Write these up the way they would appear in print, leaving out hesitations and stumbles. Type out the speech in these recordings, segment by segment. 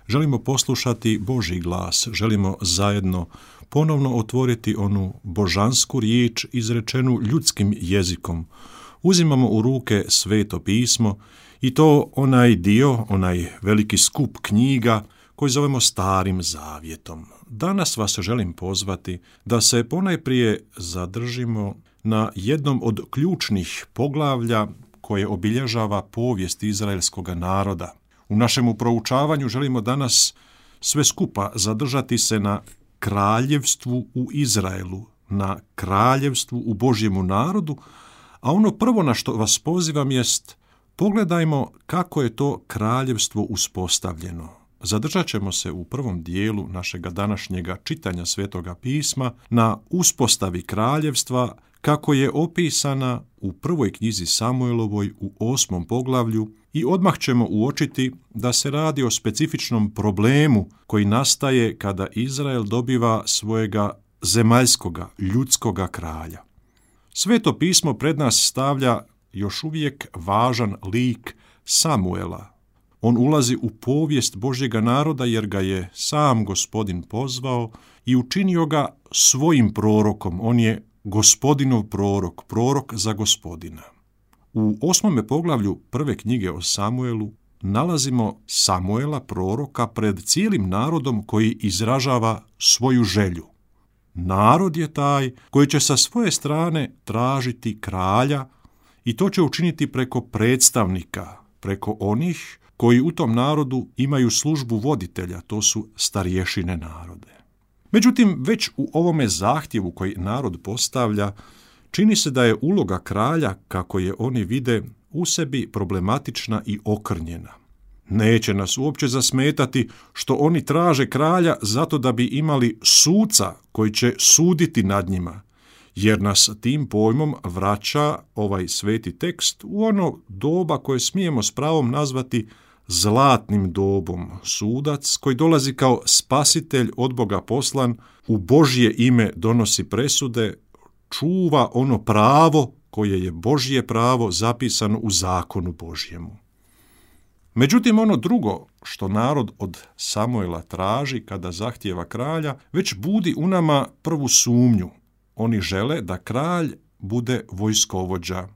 Želimo poslušati Božji glas, želimo zajedno ponovno otvoriti onu božansku riječ izrečenu ljudskim jezikom. Uzimamo u ruke Sveto pismo i to onaj dio, onaj veliki skup knjiga koji zovemo Starim zavjetom. Danas vas želim pozvati da se ponajprije zadržimo na jednom od ključnih poglavlja koje obilježava povijest izraelskog naroda. U našemu proučavanju želimo danas sve skupa zadržati se na kraljevstvu u Izraelu, na kraljevstvu u Božjemu narodu, a ono prvo na što vas pozivam jest pogledajmo kako je to kraljevstvo uspostavljeno. Zadržat ćemo se u prvom dijelu našega današnjega čitanja Svetoga pisma na uspostavi kraljevstva kako je opisana u prvoj knjizi Samuelovoj u 8. poglavlju i odmah ćemo uočiti da se radi o specifičnom problemu koji nastaje kada Izrael dobiva svojega zemaljskoga, ljudskoga kralja. Sveto pismo pred nas stavlja još uvijek važan lik Samuela. On ulazi u povijest Božjega naroda jer ga je sam Gospodin pozvao i učinio ga svojim prorokom. On je Gospodinov prorok, prorok za Gospodina. U 8. poglavlju prve knjige o Samuelu nalazimo Samuela, proroka, pred cijelim narodom koji izražava svoju želju. Narod je taj koji će sa svoje strane tražiti kralja i to će učiniti preko predstavnika, preko onih koji u tom narodu imaju službu voditelja, to su starješine narode. Međutim, već u ovome zahtjevu koji narod postavlja, čini se da je uloga kralja, kako je oni vide, u sebi problematična i okrnjena. Neće nas uopće zasmetati što oni traže kralja zato da bi imali suca koji će suditi nad njima, jer nas tim pojmom vraća ovaj sveti tekst u ono doba koje smijemo s pravom nazvati zlatnim dobom. Sudac koji dolazi kao spasitelj od Boga poslan, u Božje ime donosi presude, čuva ono pravo koje je Božje pravo zapisano u zakonu Božjemu. Međutim, ono drugo što narod od Samuela traži kada zahtijeva kralja, već budi u nama prvu sumnju. Oni žele da kralj bude vojskovođa.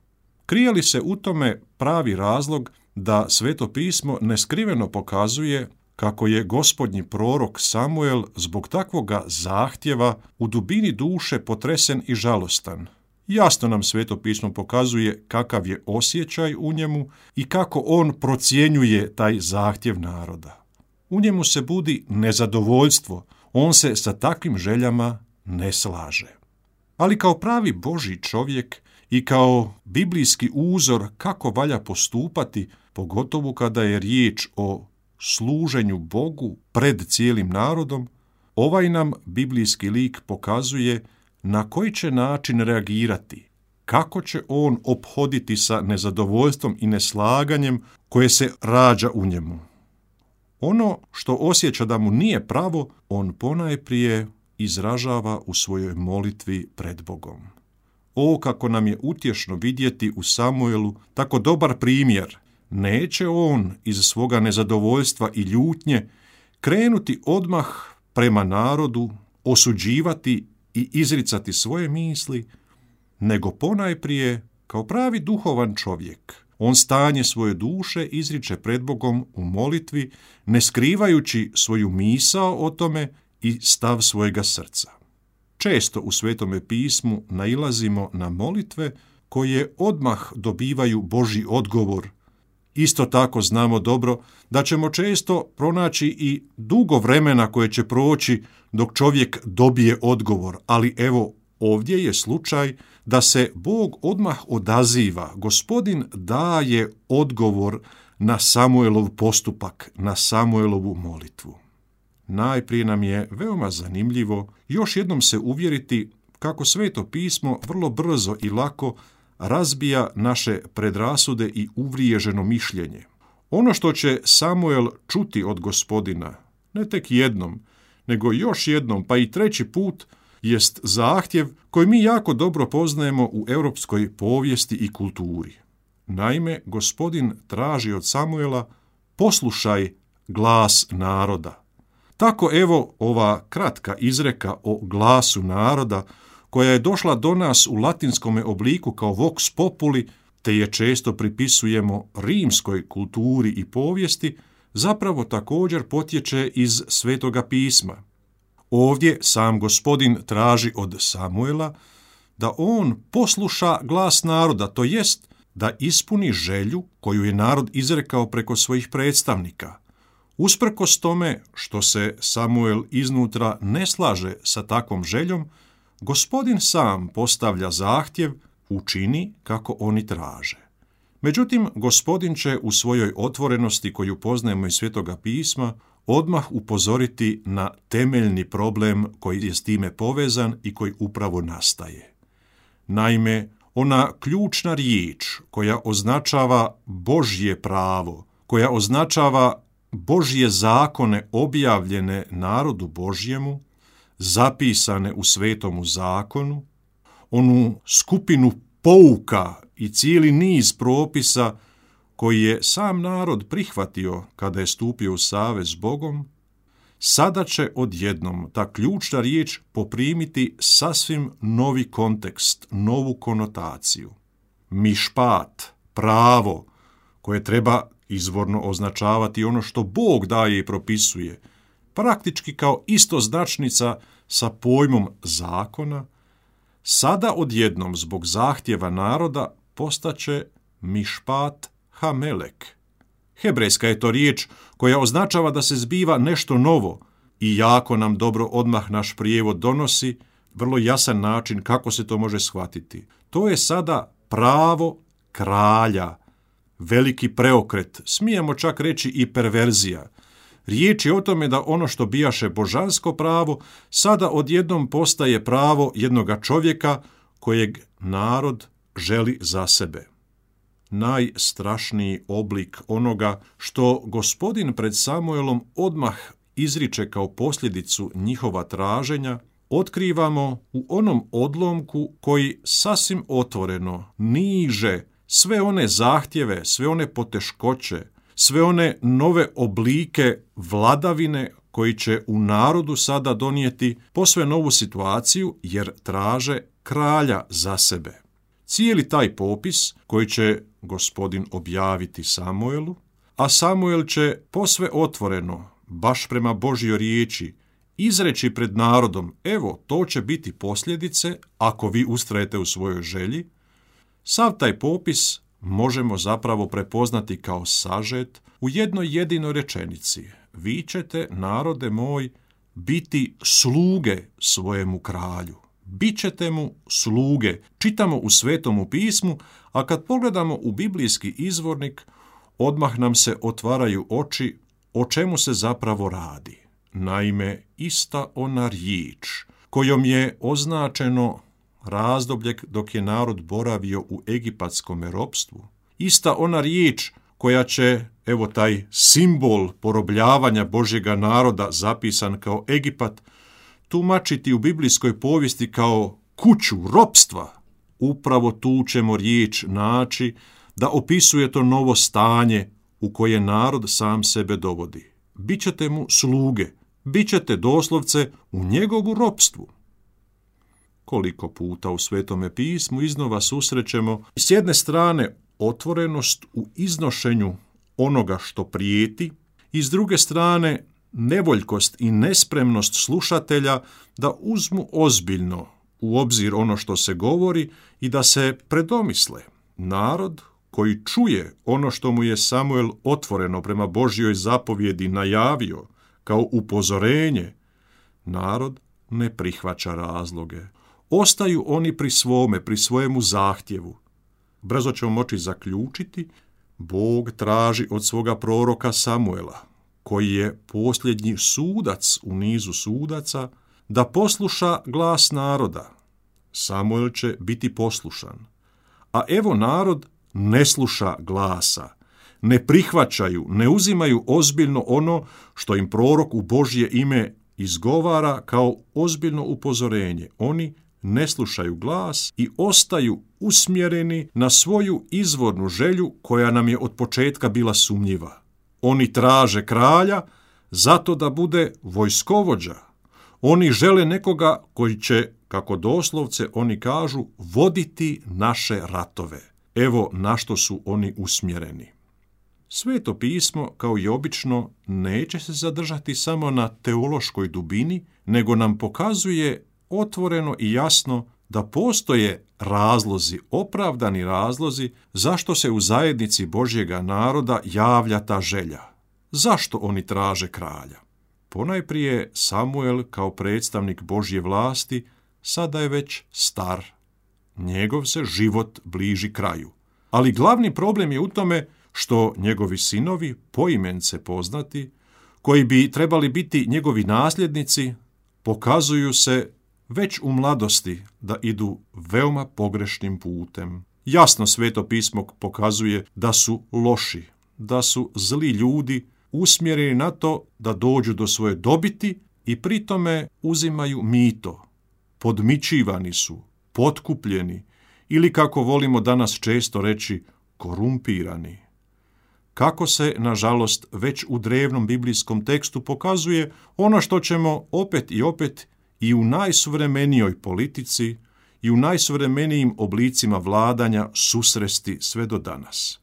Krije li se u tome pravi razlog da Sveto pismo neskriveno pokazuje kako je Gospodnji prorok Samuel zbog takvoga zahtjeva u dubini duše potresen i žalostan? Jasno nam Sveto pismo pokazuje kakav je osjećaj u njemu i kako on procjenjuje taj zahtjev naroda. U njemu se budi nezadovoljstvo, on se sa takvim željama ne slaže. Ali kao pravi Božji čovjek i kao biblijski uzor kako valja postupati, pogotovo kada je riječ o služenju Bogu pred cijelim narodom, ovaj nam biblijski lik pokazuje na koji će način reagirati, kako će on ophoditi sa nezadovoljstvom i neslaganjem koje se rađa u njemu. Ono što osjeća da mu nije pravo, on ponajprije izražava u svojoj molitvi pred Bogom. O, kako nam je utješno vidjeti u Samuelu tako dobar primjer. Neće on iz svoga nezadovoljstva i ljutnje krenuti odmah prema narodu, osuđivati i izricati svoje misli, nego ponajprije, kao pravi duhovan čovjek, on stanje svoje duše izriče pred Bogom u molitvi, ne skrivajući svoju misao o tome i stav svojega srca. Često u Svetome pismu nailazimo na molitve koje odmah dobivaju Božji odgovor. Isto tako znamo dobro da ćemo često pronaći i dugo vremena koje će proći dok čovjek dobije odgovor, ali evo ovdje je slučaj da se Bog odmah odaziva. Gospodin daje odgovor na Samuelov postupak, na Samuelovu molitvu. Najprije nam je veoma zanimljivo još jednom se uvjeriti kako Sveto pismo vrlo brzo i lako razbija naše predrasude i uvriježeno mišljenje. Ono što će Samuel čuti od Gospodina, ne tek jednom, nego još jednom, pa i treći put, jest zahtjev koji mi jako dobro poznajemo u europskoj povijesti i kulturi. Naime, Gospodin traži od Samuela: poslušaj glas naroda. Tako evo ova kratka izreka o glasu naroda, koja je došla do nas u latinskome obliku kao vox populi, te je često pripisujemo rimskoj kulturi i povijesti, zapravo također potječe iz Svetoga pisma. Ovdje sam Gospodin traži od Samuela da on posluša glas naroda, to jest da ispuni želju koju je narod izrekao preko svojih predstavnika. Usprkos tome što se Samuel iznutra ne slaže sa takvom željom, Gospodin sam postavlja zahtjev, učini kako oni traže. Međutim, Gospodin će u svojoj otvorenosti koju poznajemo iz Svetoga pisma odmah upozoriti na temeljni problem koji je s time povezan i koji upravo nastaje. Naime, ona ključna riječ koja označava Božje pravo, koja označava Božje zakone objavljene narodu Božjemu, zapisane u Svetomu zakonu, onu skupinu pouka i cijeli niz propisa koji je sam narod prihvatio kada je stupio u savez s Bogom, sada će odjednom ta ključna riječ poprimiti sasvim novi kontekst, novu konotaciju. Mišpat, pravo, koje treba izvorno označavati ono što Bog daje i propisuje, praktički kao istoznačnica sa pojmom zakona, sada odjednom zbog zahtjeva naroda postaće mišpat hamelek. Hebrejska je to riječ koja označava da se zbiva nešto novo i jako nam dobro odmah naš prijevod donosi vrlo jasan način kako se to može shvatiti. To je sada pravo kralja, veliki preokret, smijemo čak reći i perverzija. Riječ je o tome da ono što bijaše božansko pravo, sada odjednom postaje pravo jednoga čovjeka kojeg narod želi za sebe. Najstrašniji oblik onoga što Gospodin pred Samuelom odmah izriče kao posljedicu njihova traženja, otkrivamo u onom odlomku koji sasvim otvoreno niže sve one zahtjeve, sve one poteškoće, sve one nove oblike vladavine koji će u narodu sada donijeti posve novu situaciju jer traže kralja za sebe. Cijeli taj popis koji će Gospodin objaviti Samuelu, a Samuel će posve otvoreno, baš prema Božjoj riječi, izreći pred narodom, evo, to će biti posljedice ako vi ustrajete u svojoj želji, sav taj popis možemo zapravo prepoznati kao sažet u jednoj jedinoj rečenici. Vi ćete, narode moj, biti sluge svojemu kralju. Bićete mu sluge. Čitamo u Svetomu pismu, a kad pogledamo u biblijski izvornik, odmah nam se otvaraju oči o čemu se zapravo radi. Naime, ista ona riječ kojom je označeno razdoblje dok je narod boravio u egipatskom ropstvu, ista ona riječ koja će, evo taj simbol porobljavanja Božjega naroda zapisan kao Egipat, tumačiti u biblijskoj povijesti kao kuću ropstva. Upravo tu ćemo riječ naći da opisuje to novo stanje u koje narod sam sebe dovodi. Bićete mu sluge, bićete doslovce u njegovu ropstvu. Koliko puta u Svetome pismu iznova susrećemo s jedne strane otvorenost u iznošenju onoga što prijeti i s druge strane nevoljkost i nespremnost slušatelja da uzmu ozbiljno u obzir ono što se govori i da se predomisle. Narod koji čuje ono što mu je Samuel otvoreno prema Božjoj zapovjedi najavio kao upozorenje, narod ne prihvaća razloge. Ostaju oni pri svome, pri svojemu zahtjevu. Brzo ćemo moći zaključiti, Bog traži od svoga proroka Samuela, koji je posljednji sudac u nizu sudaca, da posluša glas naroda. Samuel će biti poslušan. A evo narod ne sluša glasa, ne prihvaćaju, ne uzimaju ozbiljno ono što im prorok u Božje ime izgovara kao ozbiljno upozorenje. Oni ne slušaju glas i ostaju usmjereni na svoju izvornu želju koja nam je od početka bila sumnjiva. Oni traže kralja zato da bude vojskovođa. Oni žele nekoga koji će, kako doslovce oni kažu, voditi naše ratove. Evo na što su oni usmjereni. Sveto pismo, kao i obično, neće se zadržati samo na teološkoj dubini, nego nam pokazuje otvoreno i jasno da postoje razlozi, opravdani razlozi, zašto se u zajednici Božjega naroda javlja ta želja. Zašto oni traže kralja? Ponajprije Samuel kao predstavnik Božje vlasti sada je već star. Njegov se život bliži kraju. Ali glavni problem je u tome što njegovi sinovi, poimence poznati, koji bi trebali biti njegovi nasljednici, pokazuju se već u mladosti da idu veoma pogrešnim putem. Jasno Sveto pismo pokazuje da su loši, da su zli ljudi, usmjereni na to da dođu do svoje dobiti i pritome uzimaju mito. Podmićivani su, potkupljeni ili, kako volimo danas često reći, korumpirani. Kako se, nažalost, već u drevnom biblijskom tekstu pokazuje ono što ćemo opet i u najsuvremenijoj politici i u najsuvremenijim oblicima vladanja susresti sve do danas.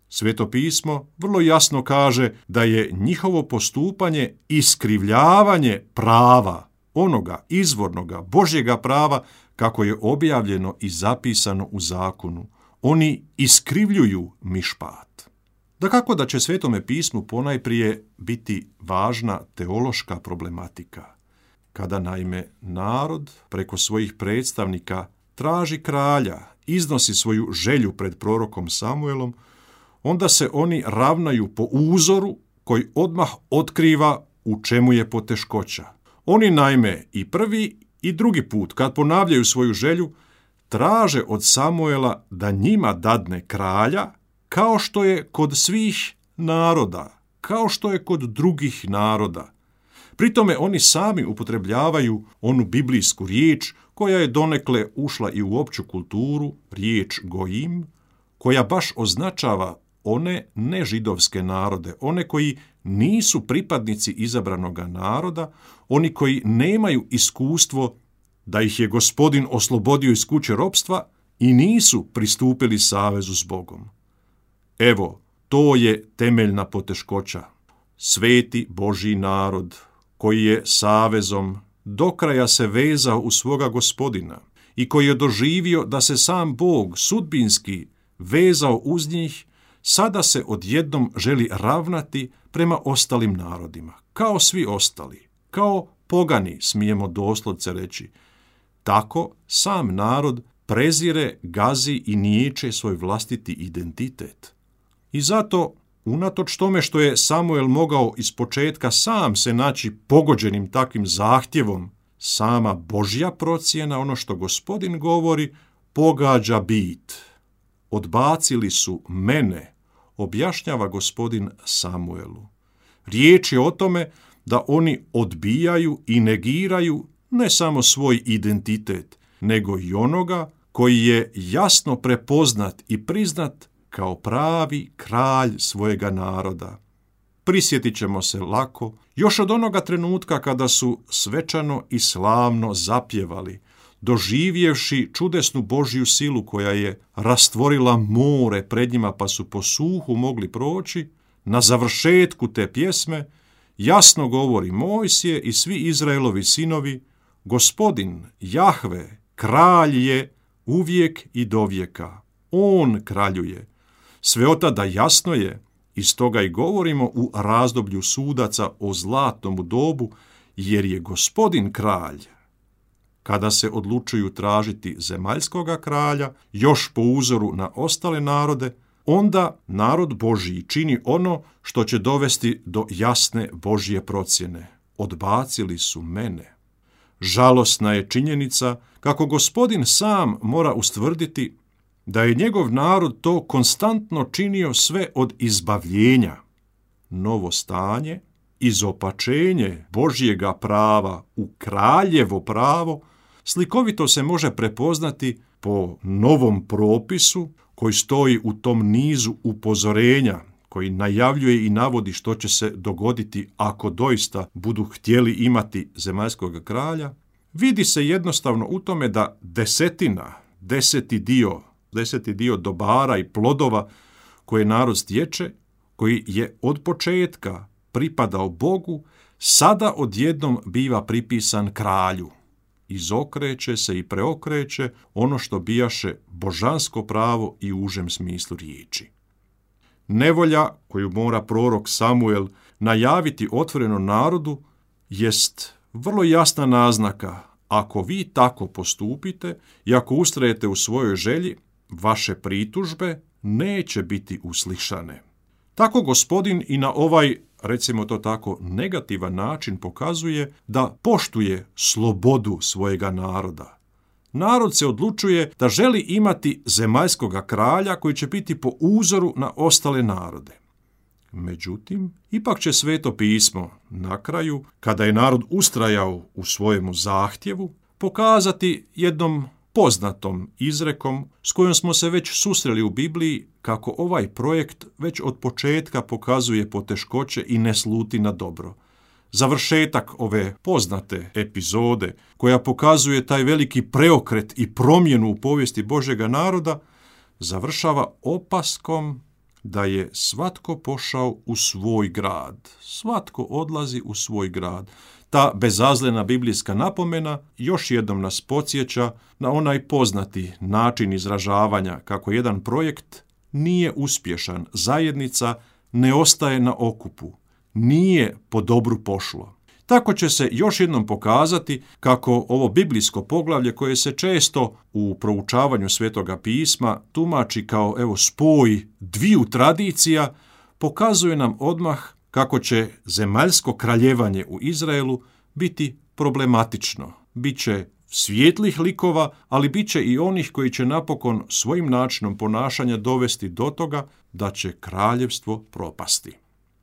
Sveto pismo vrlo jasno kaže da je njihovo postupanje iskrivljavanje prava, onoga izvornoga Božjega prava, kako je objavljeno i zapisano u zakonu. Oni iskrivljuju mišpat. Dakako da će Svetome pismu ponajprije biti važna teološka problematika. Kada naime narod preko svojih predstavnika traži kralja, iznosi svoju želju pred prorokom Samuelom, onda se oni ravnaju po uzoru koji odmah otkriva u čemu je poteškoća. Oni naime i prvi i drugi put, kad ponavljaju svoju želju, traže od Samuela da njima dadne kralja, kao što je kod svih naroda, kao što je kod drugih naroda. Pritome oni sami upotrebljavaju onu biblijsku riječ koja je donekle ušla i u opću kulturu, riječ gojim, koja baš označava one nežidovske narode, one koji nisu pripadnici izabranoga naroda, oni koji nemaju iskustvo da ih je Gospodin oslobodio iz kuće ropstva i nisu pristupili savezu s Bogom. Evo, to je temeljna poteškoća. Sveti Božji narod, koji je savezom do kraja se vezao u svoga Gospodina i koji je doživio da se sam Bog sudbinski vezao uz njih, sada se odjednom želi ravnati prema ostalim narodima, kao svi ostali, kao pogani, smijemo doslovce reći. Tako sam narod prezire, gazi i niječe svoj vlastiti identitet. I zato, unatoč tome što je Samuel mogao ispočetka sam se naći pogođenim takvim zahtjevom, sama Božja procjena, ono što Gospodin govori, pogađa bit. Odbacili su mene, objašnjava Gospodin Samuelu. Riječ je o tome da oni odbijaju i negiraju ne samo svoj identitet, nego i onoga koji je jasno prepoznat i priznat kao pravi kralj svojega naroda. Prisjetit ćemo se lako još od onoga trenutka kada su svečano i slavno zapjevali, doživjevši čudesnu Božju silu koja je rastvorila more pred njima pa su po suhu mogli proći. Na završetku te pjesme jasno govori Mojsije i svi Izraelovi sinovi: Gospodin, Jahve, kralj je uvijek i dovijeka. On kraljuje. Sve od tada jasno je, i stoga i govorimo u razdoblju sudaca o zlatnom dobu, jer je Gospodin kralj. Kada se odlučuju tražiti zemaljskoga kralja, još po uzoru na ostale narode, onda narod Božji čini ono što će dovesti do jasne Božje procjene. Odbacili su mene. Žalosna je činjenica kako Gospodin sam mora ustvrditi da je njegov narod to konstantno činio sve od izbavljenja. Novo stanje, izopačenje Božjega prava u kraljevo pravo, slikovito se može prepoznati po novom propisu koji stoji u tom nizu upozorenja koji najavljuje i navodi što će se dogoditi ako doista budu htjeli imati zemaljskog kralja, vidi se jednostavno u tome da deseti dio dobara i plodova koje narod stječe, koji je od početka pripadao Bogu, sada odjednom biva pripisan kralju. Izokreće se i preokreće ono što bijaše božansko pravo i u užem smislu riječi. Nevolja koju mora prorok Samuel najaviti otvoreno narodu jest vrlo jasna naznaka: ako vi tako postupite i ako ustrajete u svojoj želji, vaše pritužbe neće biti uslišane. Tako Gospodin i na ovaj, recimo to tako, negativan način pokazuje da poštuje slobodu svojega naroda. Narod se odlučuje da želi imati zemaljskoga kralja koji će biti po uzoru na ostale narode. Međutim, ipak će Sveto pismo na kraju, kada je narod ustrajao u svojemu zahtjevu, pokazati jednom poznatom izrekom s kojom smo se već susreli u Bibliji, kako ovaj projekt već od početka pokazuje poteškoće i ne sluti na dobro. Završetak ove poznate epizode, koja pokazuje taj veliki preokret i promjenu u povijesti Božjega naroda, završava opaskom da je svatko pošao u svoj grad. Svatko odlazi u svoj grad. Ta bezazlena biblijska napomena još jednom nas podsjeća na onaj poznati način izražavanja kako jedan projekt nije uspješan, zajednica ne ostaje na okupu, nije po dobru pošlo. Tako će se još jednom pokazati kako ovo biblijsko poglavlje, koje se često u proučavanju Svetoga pisma tumači kao spoj dviju tradicija, pokazuje nam odmah kako će zemaljsko kraljevanje u Izraelu biti problematično. Biće svijetlih likova, ali bit će i onih koji će napokon svojim načinom ponašanja dovesti do toga da će kraljevstvo propasti.